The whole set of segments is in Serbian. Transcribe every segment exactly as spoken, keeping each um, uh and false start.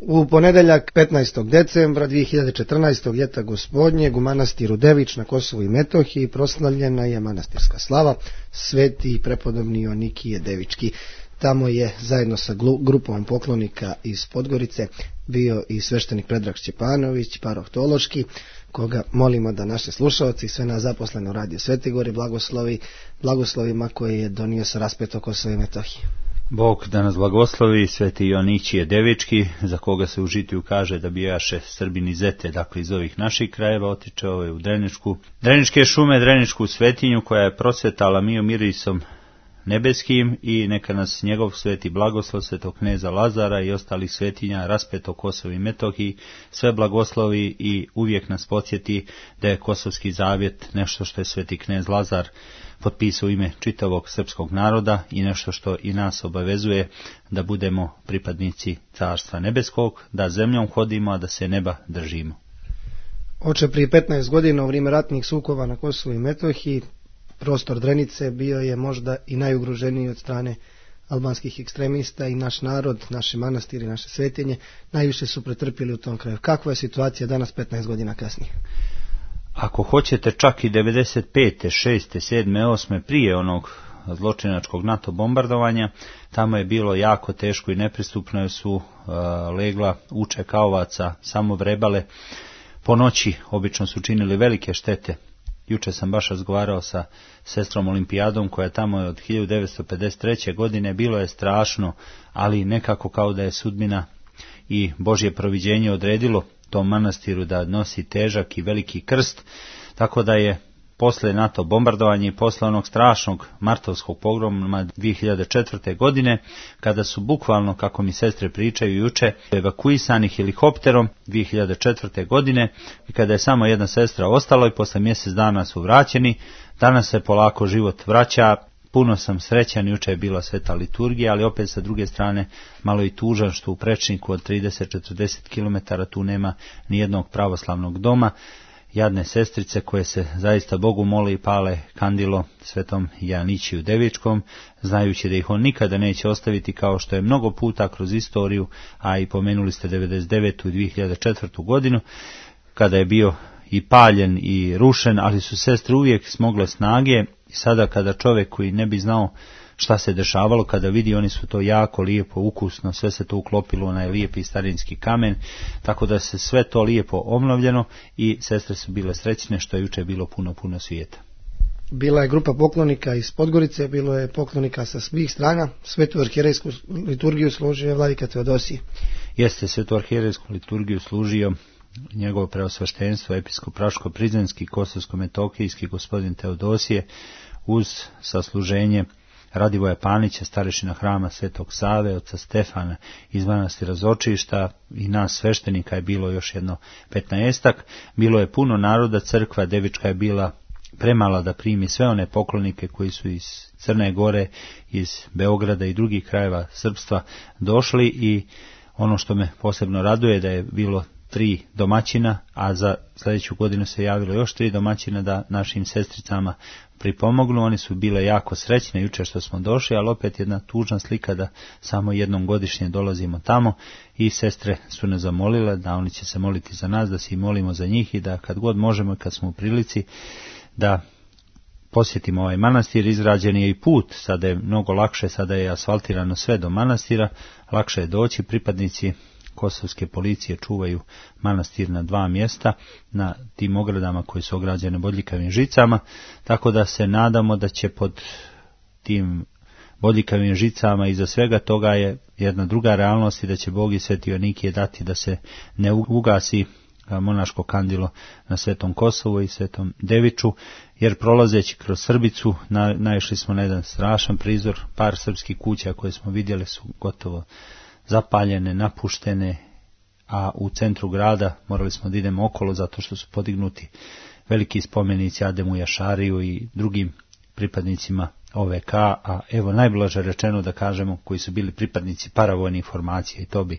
U ponedeljak petnaestog decembra dvije hiljade četrnaestog. ljeta gospodnjeg u manastiru Devič na Kosovu i Metohiji proslavljena je manastirska slava Sveti i prepodobni Joanikije Devički. Tamo je zajedno sa grupom poklonika iz Podgorice bio i sveštenik Predrag Šćepanović, paroh Tološki, koga molimo da naše slušalci i sve nas zaposlene u Radio Svetigori blagoslovi blagoslovima koje je donio sa raspeto Kosova i Metohije. Bog da nas blagoslovi, Sveti Joaničije Devički, za koga se u žitiju kaže da bijaše Srbin iz Zete, dakle iz ovih naših krajeva, otiče ovaj u Dreničku, Dreničke šume, Dreničku svetinju koja je prosvetala mio mirisom nebeskim, i neka nas njegov sveti blagoslov svetog kneza Lazara i ostalih svetinja raspeto Kosovo i Metohiji sve blagoslovi i uvijek nas podsjeti da je Kosovski zavjet nešto što je sveti knez Lazar potpisao u ime čitavog srpskog naroda i nešto što i nas obavezuje da budemo pripadnici Carstva nebeskog, da zemljom hodimo, a da se neba držimo. Oče, prije petnaest godina u vrijeme ratnih sukoba na Kosovu i Metohiji prostor Drenice bio je možda i najugroženiji od strane albanskih ekstremista i naš narod, naše manastiri, naše svetinje najviše su pretrpjeli u tom kraju. Kakva je situacija danas petnaest godina kasnije? Ako hoćete čak i devedeset pete, šeste, sedme, osme prije onog zločinačkog NATO bombardovanja, tamo je bilo jako teško i nepristupno, su uh, legla učeka ovaca, samo vrebale. Po noći obično su činili velike štete. Juče sam baš razgovarao sa sestrom Olimpijadom koja je tamo od hiljadu devetsto pedeset treće. godine, bilo je strašno, ali nekako kao da je sudbina i Božje proviđenje odredilo tom manastiru da nosi težak i veliki krst, tako da je posle NATO bombardovanja i posle onog strašnog martovskog pogroma dvije hiljade četvrte. godine, kada su bukvalno, kako mi sestre pričaju juče, evakuisani helikopterom dvije hiljade četvrte. godine, i kada je samo jedna sestra ostala i posle mjesec dana su vraćeni, danas se polako život vraća. Puno sam srećan, juče je bila sveta liturgija, ali opet sa druge strane malo i tužan što u prečniku od trideset do četrdeset kilometara tu nema ni jednog pravoslavnog doma. Jadne sestrice koje se zaista Bogu mole i pale kandilo svetom Joaničiju Devičkom, znajući da ih on nikada neće ostaviti, kao što je mnogo puta kroz istoriju, a i pomenuli ste devedeset devetu i dvije hiljade četvrtu. godinu, kada je bio i paljen i rušen, ali su sestre uvijek smogle snage. I sada kada čovjek koji ne bi znao šta se dešavalo, kada vidi, oni su to jako lijepo, ukusno, sve se to uklopilo u onaj lijepi starinski kamen, tako da se sve to lijepo obnovljeno i sestre su bile srećne što je juče bilo puno, puno svijeta. Bila je grupa poklonika iz Podgorice, bilo je poklonika sa svih strana, svetu arhijerejsku liturgiju služio je vladika Teodosije. Jeste, svetu arhijerejsku liturgiju služio njegovo preosveštenstvo, episkop Raško-Prizrenski, Kosovsko-Metokijski gospodin Teodosije, uz sasluženje Radivoja Panića, starešina hrama Svetog Save, oca Stefana iz manastira Zočišta i nas sveštenika je bilo još jedno petnaestak. Bilo je puno naroda, crkva Devička je bila premala da primi sve one poklonike koji su iz Crne Gore, iz Beograda i drugih krajeva srpstva došli, i ono što me posebno raduje da je bilo tri domaćina, a za sljedeću godinu se javilo još tri domaćina da našim sestricama pripomognu. Oni su bile jako srećne juče što smo došli, ali opet jedna tužna slika da samo jednom godišnje dolazimo tamo, i sestre su nas zamolile da oni će se moliti za nas, da se i molimo za njih i da kad god možemo i kad smo u prilici da posjetimo ovaj manastir. Izrađen je i put, sada je mnogo lakše, sada je asfaltirano sve do manastira, lakše je doći. Pripadnici kosovske policije čuvaju manastir na dva mjesta, na tim ogradama koji su ograđene bodljikavim žicama, tako da se nadamo da će pod tim bodljikavim žicama iza svega toga je jedna druga realnost i da će Bog i Sveti Joanikije dati da se ne ugasi monaško kandilo na Svetom Kosovu i Svetom Deviču, jer prolazeći kroz Srbicu na, naišli smo na jedan strašan prizor. Par srpskih kuća koje smo vidjeli su gotovo zapaljene, napuštene, a u centru grada morali smo da idemo okolo zato što su podignuti veliki spomenici Ademu Jašariju i drugim pripadnicima O V K, a evo najblaže rečeno da kažemo koji su bili pripadnici paravojnih formacija, i to bi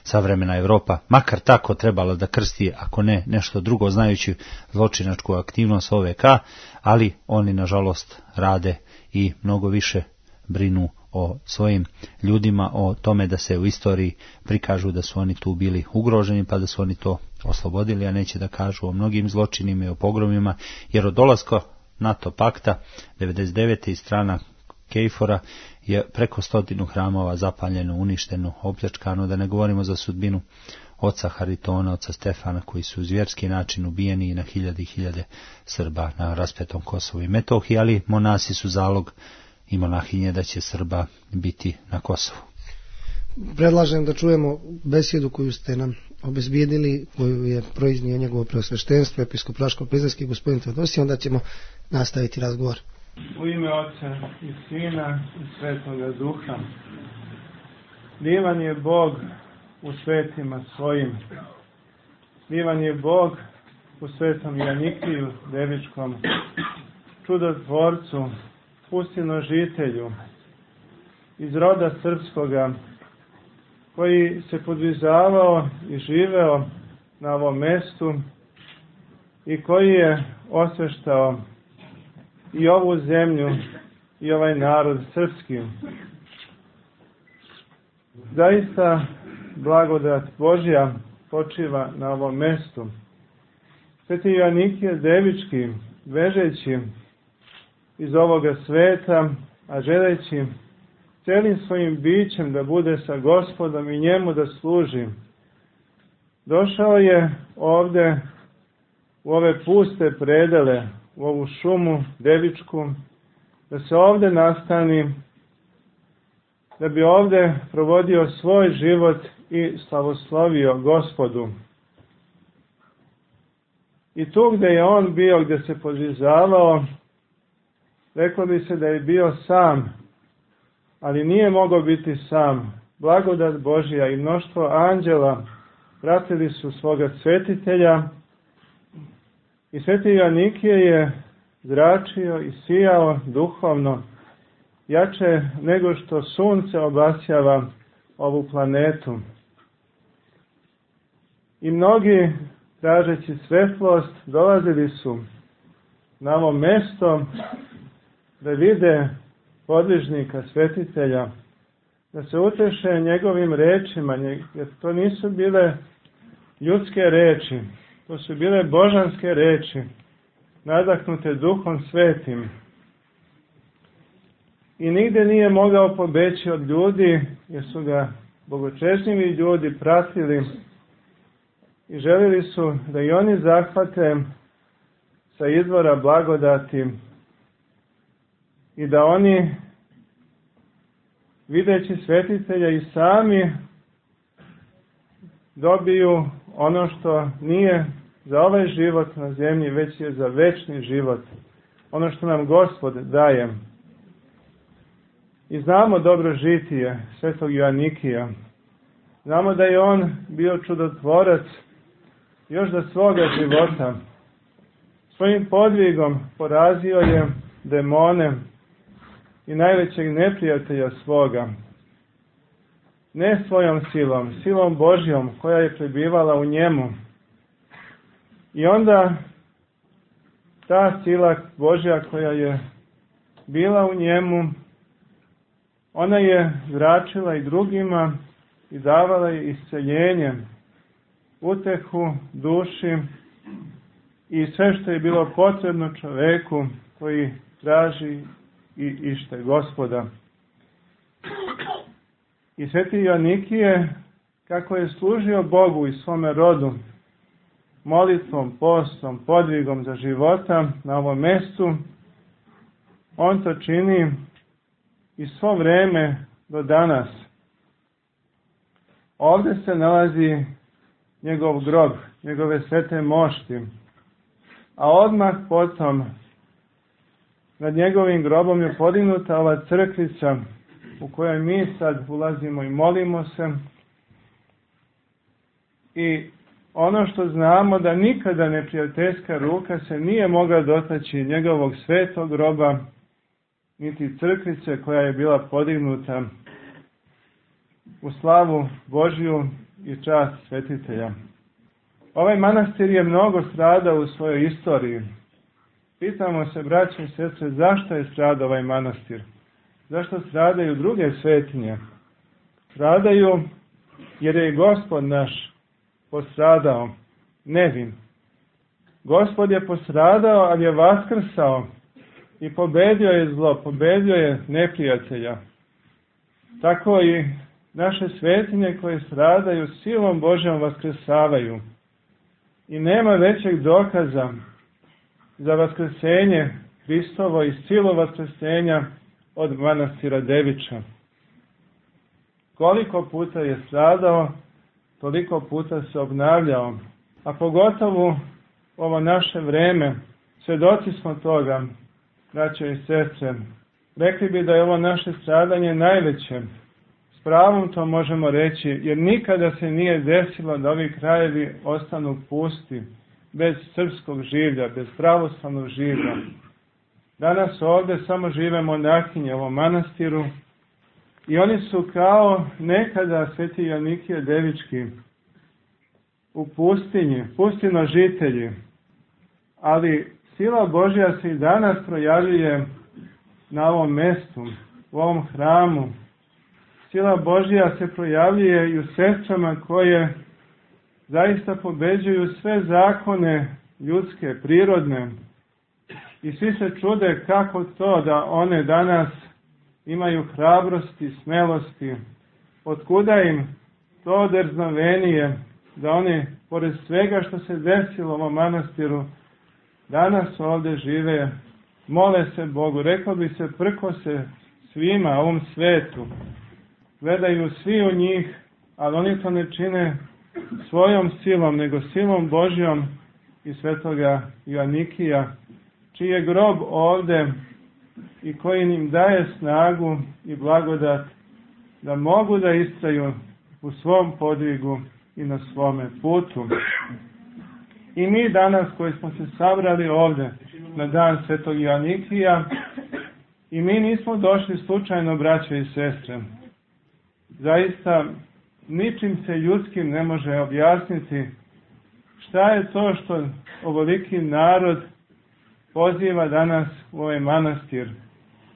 savremena Evropa makar tako trebala da krsti, ako ne nešto drugo, znajući zločinačku aktivnost O V K, ali oni nažalost rade i mnogo više brinu o svojim ljudima, o tome da se u istoriji prikažu da su oni tu bili ugroženi, pa da su oni to oslobodili, a neće da kažu o mnogim zločinima i o pogromima, jer od dolaska NATO pakta devedeset devete iz strana Kejfora je preko stotinu hramova zapaljeno, uništeno, opljačkano, da ne govorimo za sudbinu oca Haritona, oca Stefana, koji su uz vjerski način ubijeni i na hiljade i hiljade Srba na raspetom Kosovu i Metohiji, ali monasi su zalog i monahinje da će Srba biti na Kosovu. Predlažem da čujemo besjedu koju ste nam obezbijedili, koju je proiznio njegovo preosveštenstvo, episkop Praško-Prizrenski gospodin Teodosije, onda ćemo nastaviti razgovor. U ime Otca i Sina i Svetoga Duha. Divan je Bog u svetima svojim. Divan je Bog u svetom Janikiju Devičkom, čudotvorcu, pustinožitelju, iz roda srpskoga, koji se podvizavao i živeo na ovom mestu i koji je osveštao i ovu zemlju i ovaj narod srpski. Zaista blagodat Božja počiva na ovom mestu. Sveti Joanikije Devički, bežeći iz ovoga sveta, a želeći celim svojim bićem da bude sa Gospodom i njemu da služi, došao je ovde u ove puste predele, u ovu šumu Devičku, da se ovde nastani, da bi ovde provodio svoj život i slavoslovio Gospodu. I tu gde je on bio, gde se podvizavao, reklo bi se da je bio sam, ali nije mogao biti sam. Blagodat Božja i mnoštvo anđela pratili su svoga svetitelja i sveti Joanikije je zračio i sijao duhovno, jače nego što sunce obasjava ovu planetu. I mnogi, tražeći svetlost, dolazili su na ovo mesto da vide podvižnika, svetitelja, da se uteše njegovim rečima, jer to nisu bile ljudske reči, to su bile božanske reči, nadahnute Duhom Svetim. I nigde nije mogao pobeći od ljudi, jer su ga bogočešnjivi ljudi pratili i želili su da i oni zahvate sa izvora blagodati i da oni, videći svetitelja, i sami dobiju ono što nije za ovaj život na zemlji, već je za večni život. Ono što nam Gospod daje. I znamo dobro žitije svetog Joanikija. Znamo da je on bio čudotvorac još za svoga života. Svojim podvigom porazio je demone i najvećeg neprijatelja svoga. Ne svojom silom, silom Božjom koja je prebivala u njemu. I onda ta sila Božja koja je bila u njemu, ona je zračila i drugima i davala je isceljenje, utehu duši i sve što je bilo potrebno čoveku koji traži i ište Gospoda. I sveti Joanikije, kako je služio Bogu i svome rodu, molitvom, postom, podvigom za života na ovom mestu, on to čini i svo vreme do danas. Ovde se nalazi njegov grob, njegove svete mošti, a odmah potom nad njegovim grobom je podignuta ova crkvica u kojoj mi sad ulazimo i molimo se. I ono što znamo, da nikada neprijateljska ruka se nije mogla dotaći njegovog svetog groba, niti crkvice koja je bila podignuta u slavu Božju i čast svetitelja. Ovaj manastir je mnogo stradao u svojoj istoriji. Pitamo se, braće i sestre, zašto je stradao ovaj manastir? Zašto stradaju druge svetinje? Stradaju jer je Gospod naš postradao nevin. Gospod je postradao, ali je vaskrsao i pobedio je zlo, pobedio je neprijatelja. Tako i naše svetinje koje stradaju silom Božjom vaskrsavaju. I nema većeg dokaza za vaskrsenje Hristovo i silu vaskrsenja od manastira Deviča. Koliko puta je stradao, toliko puta se obnavljao. A pogotovo ovo naše vreme, svedoci smo toga, braćo i sestre. Rekli bi da je ovo naše stradanje najveće. S pravom to možemo reći, jer nikada se nije desilo da ovi krajevi ostanu pusti, bez srpskog življa, bez pravoslavnog življa. Danas ovdje samo žive monahinje u ovom manastiru i oni su kao nekada sveti Joanikije Devički u pustinji, pustinožitelji. Ali sila Božja se i danas projavljuje na ovom mjestu, u ovom hramu. Sila Božja se projavljuje i u sestrama koje zaista pobeđuju sve zakone ljudske, prirodne. I svi se čude kako to da one danas imaju hrabrosti, smelosti. Otkuda im to drznovenije da oni, pored svega što se desilo u ovom manastiru, danas ovdje žive, mole se Bogu, rekao bi se prko se svima ovom svetu. Gledaju svi u njih, ali oni to ne čine svojom silom, nego silom Božjom i svetoga Joanikija, čiji je grob ovdje i koji im daje snagu i blagodat da mogu da istraju u svom podvigu i na svome putu. I mi danas koji smo se sabrali ovdje na dan svetog Joanikija, i mi nismo došli slučajno, braćo i sestre. Zaista ničim se ljudskim ne može objasniti šta je to što ovoliki narod poziva danas u ovaj manastir.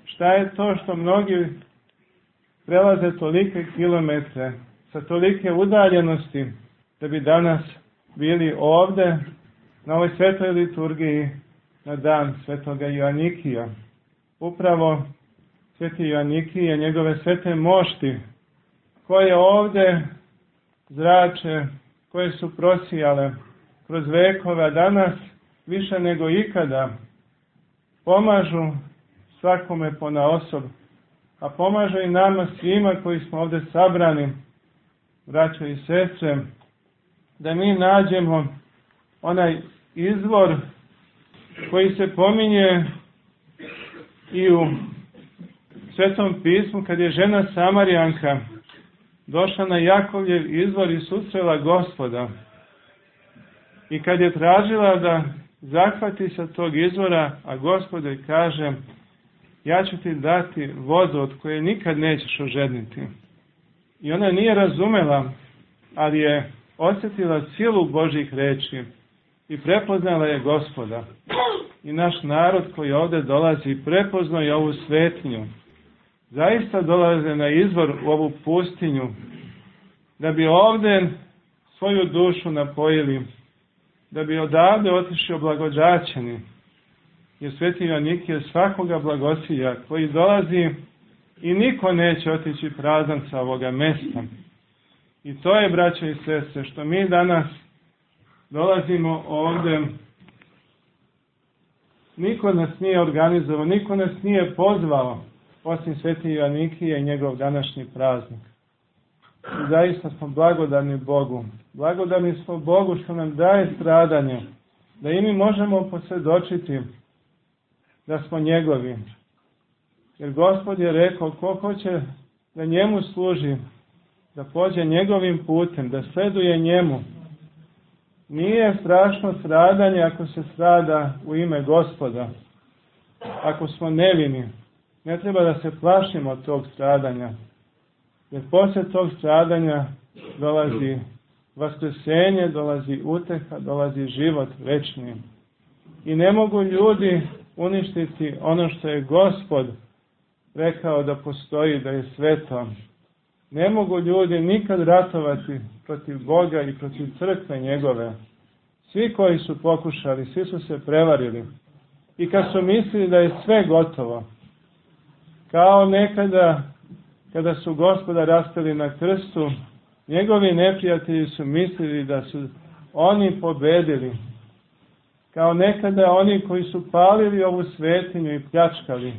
Šta je to što mnogi prelaze tolike kilometre sa tolike udaljenosti da bi danas bili ovdje na ovoj svetoj liturgiji na dan svetoga Joanikija. Upravo sveti Joanikije, njegove svete mošti, koje ovdje zrače, koje su prosijale kroz vekove, a danas više nego ikada pomažu svakome ponaosob, a pomažu i nama svima koji smo ovdje sabrani, braćo i sestre, da mi nađemo onaj izvor koji se pominje i u Svetom pismu, kad je žena Samarijanka došla na Jakovljev izvor i susrela Gospoda. I kad je tražila da zahvati sa tog izvora, a Gospod joj kaže, ja ću ti dati vodu od koje nikad nećeš ožedniti. I ona nije razumela, ali je osjetila silu Božjih reči i prepoznala je Gospoda. I naš narod koji ovdje dolazi prepoznao je ovu svetinju. Zaista dolaze na izvor u ovu pustinju, da bi ovdje svoju dušu napojili, da bi odavde otišli oblagodaćeni. Jer sveti Joanikije svakoga blagosilja koji dolazi i niko neće otići prazan sa ovoga mjesta. I to je, braćo i sestre, što mi danas dolazimo ovdje. Niko nas nije organizovao, niko nas nije pozvao, osim sveti Joanikije i njegov današnji praznik. I zaista smo blagodarni Bogu. Blagodarni smo Bogu što nam daje stradanje, da i mi možemo posvjedočiti da smo njegovi. Jer Gospod je rekao, ko hoće da njemu služi, da pođe njegovim putem, da sleduje njemu. Nije strašno stradanje ako se strada u ime Gospoda. Ako smo nevini, ne treba da se plašimo od tog stradanja. Jer poslije tog stradanja dolazi vaskrsenje, dolazi uteha, dolazi život večni. I ne mogu ljudi uništiti ono što je Gospod rekao da postoji, da je sveto. Ne mogu ljudi nikad ratovati protiv Boga i protiv crkve njegove. Svi koji su pokušali, svi su se prevarili. I kad su mislili da je sve gotovo, kao nekada kada su Gospoda raspeli na krstu, njegovi neprijatelji su mislili da su oni pobedili. Kao nekada oni koji su palili ovu svetinju i pljačkali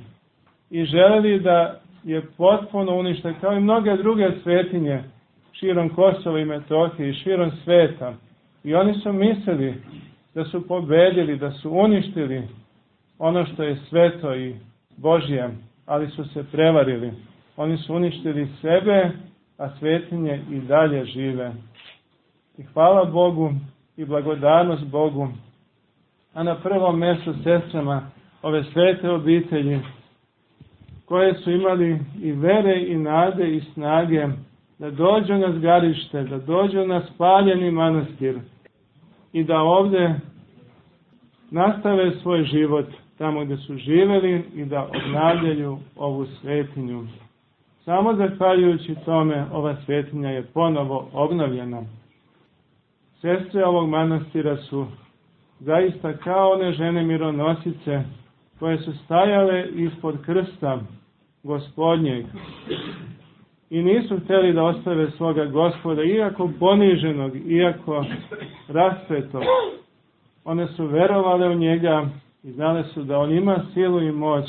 i želeli da je potpuno unište, kao i mnoge druge svetinje širom Kosova i Metohije i širom sveta. I oni su mislili da su pobedili, da su uništili ono što je sveto i Božje, ali su se prevarili. Oni su uništili sebe, a svetinje i dalje žive. I hvala Bogu i blagodarnost Bogu, a na prvom mjestu sestrama ove svete obitelji, koje su imali i vere i nade i snage da dođu na zgarište, da dođu na spaljeni manastir i da ovdje nastave svoj život tamo gdje su živjeli i da obnavljaju ovu svetinju. Samo zahvaljujući tome ova svetinja je ponovo obnovljena. Sestre ovog manastira su zaista kao one žene mironosice koje su stajale ispod krsta Gospodnjeg i nisu htjeli da ostave svoga Gospoda, iako poniženog, iako raspetog. One su verovale u njega i znale su da on ima silu i moć,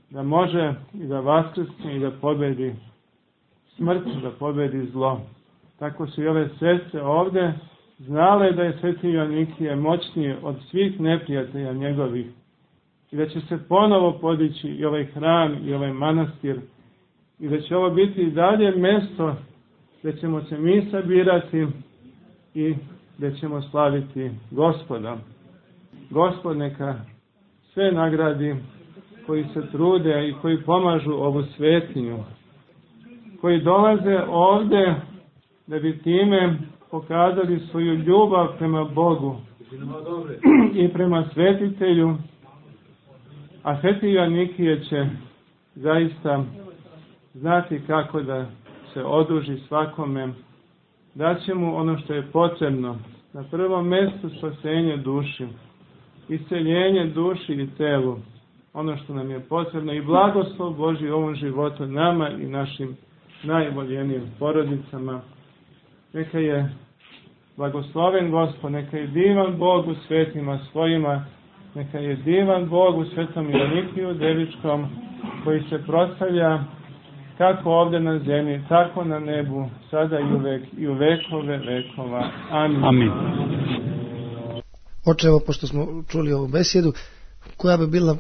da može i da vaskrsne i da pobedi smrt, da pobedi zlo. Tako su i ove sestre ovdje znale da je Sveti Joanikije moćniji od svih neprijatelja njegovih i da će se ponovo podići i ovaj hram i ovaj manastir i da će ovo biti i dalje mjesto gdje ćemo se mi sabirati i gdje ćemo slaviti Gospoda. Gospod neka sve nagradi koji se trude i koji pomažu ovu svetinju, koji dolaze ovdje da bi time pokazali svoju ljubav prema Bogu i prema svetitelju, a Sveti Joanikije će zaista znati kako da se oduži svakome, da će mu ono što je potrebno, na prvom mjestu spasenje duši, isceljenje duši i telu, ono što nam je potrebno i blagoslov Božji u ovom životu nama i našim najvoljenijim porodicama. Neka je blagosloven Gospod, neka je divan Bog u svetima svojima, neka je divan Bog u Svetom Joanikiju Devičkom, koji se proslavlja kako ovdje na zemlji, tako na nebu, sada i uvek i u vekove vekova. Amin. Amin. Oče, evo, pošto smo čuli ovu besjedu, koja bi bila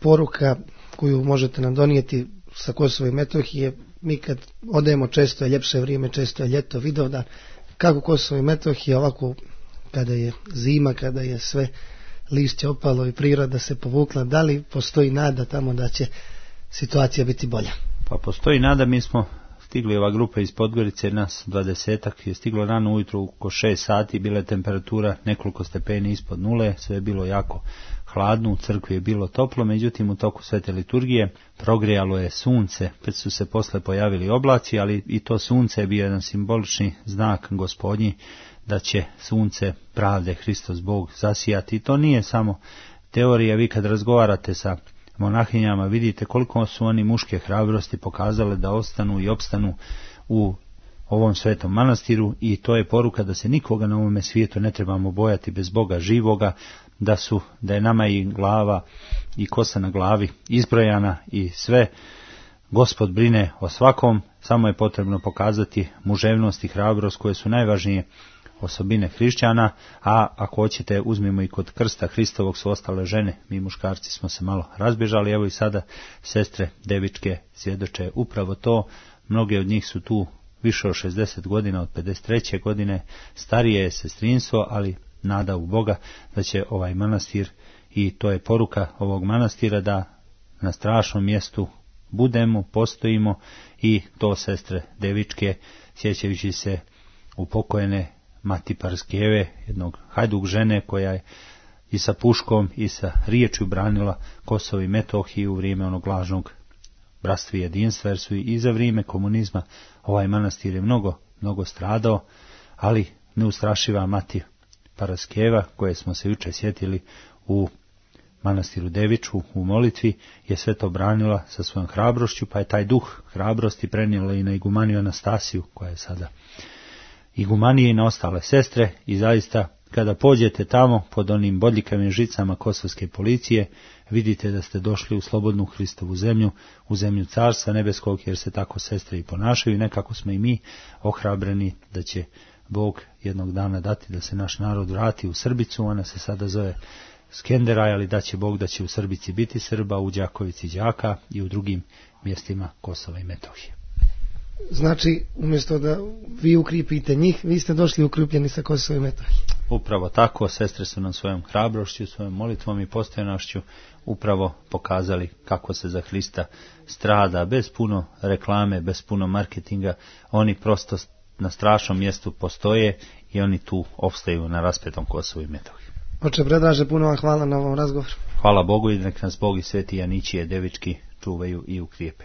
poruka koju možete nam donijeti sa Kosova i Metohije? Mi kad odemo, često je ljepše vrijeme, često je ljeto, Vidovdan, kako Kosovo i Metohija ovako kada je zima, kada je sve lišće opalo i priroda se povukla, da li postoji nada tamo da će situacija biti bolja? Pa postoji nada, mi smo stigli, ova grupa iz Podgorice, nas dvadesetak je stiglo rano ujutro oko šest sati, bila je temperatura nekoliko stepeni ispod nule, sve je bilo jako hladno, u crkvi je bilo toplo, međutim u toku svete liturgije progrijalo je sunce, pred su se posle pojavili oblaci, ali i to sunce je bio jedan simbolični znak Gospodnji da će sunce pravde, Hristos Bog, zasijati. I to nije samo teorija, vi kad razgovarate sa monahinjama vidite koliko su oni muške hrabrosti pokazale da ostanu i opstanu u ovom svetom manastiru, i to je poruka da se nikoga na ovome svijetu ne trebamo bojati bez Boga živoga, da su da je nama i glava i kosa na glavi izbrojana i sve. Gospod brine o svakom, samo je potrebno pokazati muževnost i hrabrost koje su najvažnije osobine hrišćana, a ako hoćete uzmimo i kod krsta Hristovog su ostale žene, mi muškarci smo se malo razbježali, evo i sada sestre Devičke svjedoče upravo to, mnoge od njih su tu više od šezdeset godina, od pedeset treće godine, starije je sestrinstvo, ali nada u Boga da će ovaj manastir, i to je poruka ovog manastira, da na strašnom mjestu budemo, postojimo, i to sestre Devičke, sjećajući se upokojene Mati Parskeve, jednog hajduk žene koja je i sa puškom i sa riječju branila Kosovo i Metohiju u vrijeme onog lažnog bratstva i jedinstva, jer su i za vrijeme komunizma ovaj manastir je mnogo, mnogo stradao, ali neustrašiva mati Paraskeva, koje smo se juče sjetili u manastiru Deviču u molitvi, je sve to branila sa svojom hrabrošću, pa je taj duh hrabrosti prenijela i na igumaniju Anastasiju, koja je sada igumanije i na ostale sestre, i zaista kada pođete tamo pod onim bodljikavim žicama kosovske policije, vidite da ste došli u slobodnu Hristovu zemlju, u zemlju Carstva nebeskog, jer se tako sestre i ponašaju. Nekako smo i mi ohrabreni da će Bog jednog dana dati da se naš narod vrati u Srbicu. Ona se sada zove Skenderaj, ali da će Bog da će u Srbici biti Srba, u Đakovici Đaka i u drugim mjestima Kosova i Metohije. Znači, umjesto da vi ukripite njih, vi ste došli ukripljeni sa Kosova i Metohije. Upravo tako, sestre su nam svojom hrabrošću, svojom molitvom i postojanošću upravo pokazali kako se za Hrista strada, bez puno reklame, bez puno marketinga. Oni prosto na strašnom mjestu postoje i oni tu opstaju na raspetom Kosovu i Metohiji. Oče Predraže, puno vam hvala na ovom razgovoru. Hvala Bogu i nek nas Bog i Sveti Janičije Devički čuvaju i ukrijepe.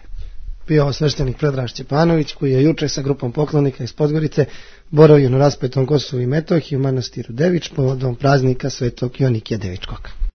Bio sveštenik Predraž Čepanović, koji je juče sa grupom poklonika iz Podgorice boravio na raspetom Kosovu i Metohiji u manastiru Devič povodom praznika Svetog Joanikija Devičkog.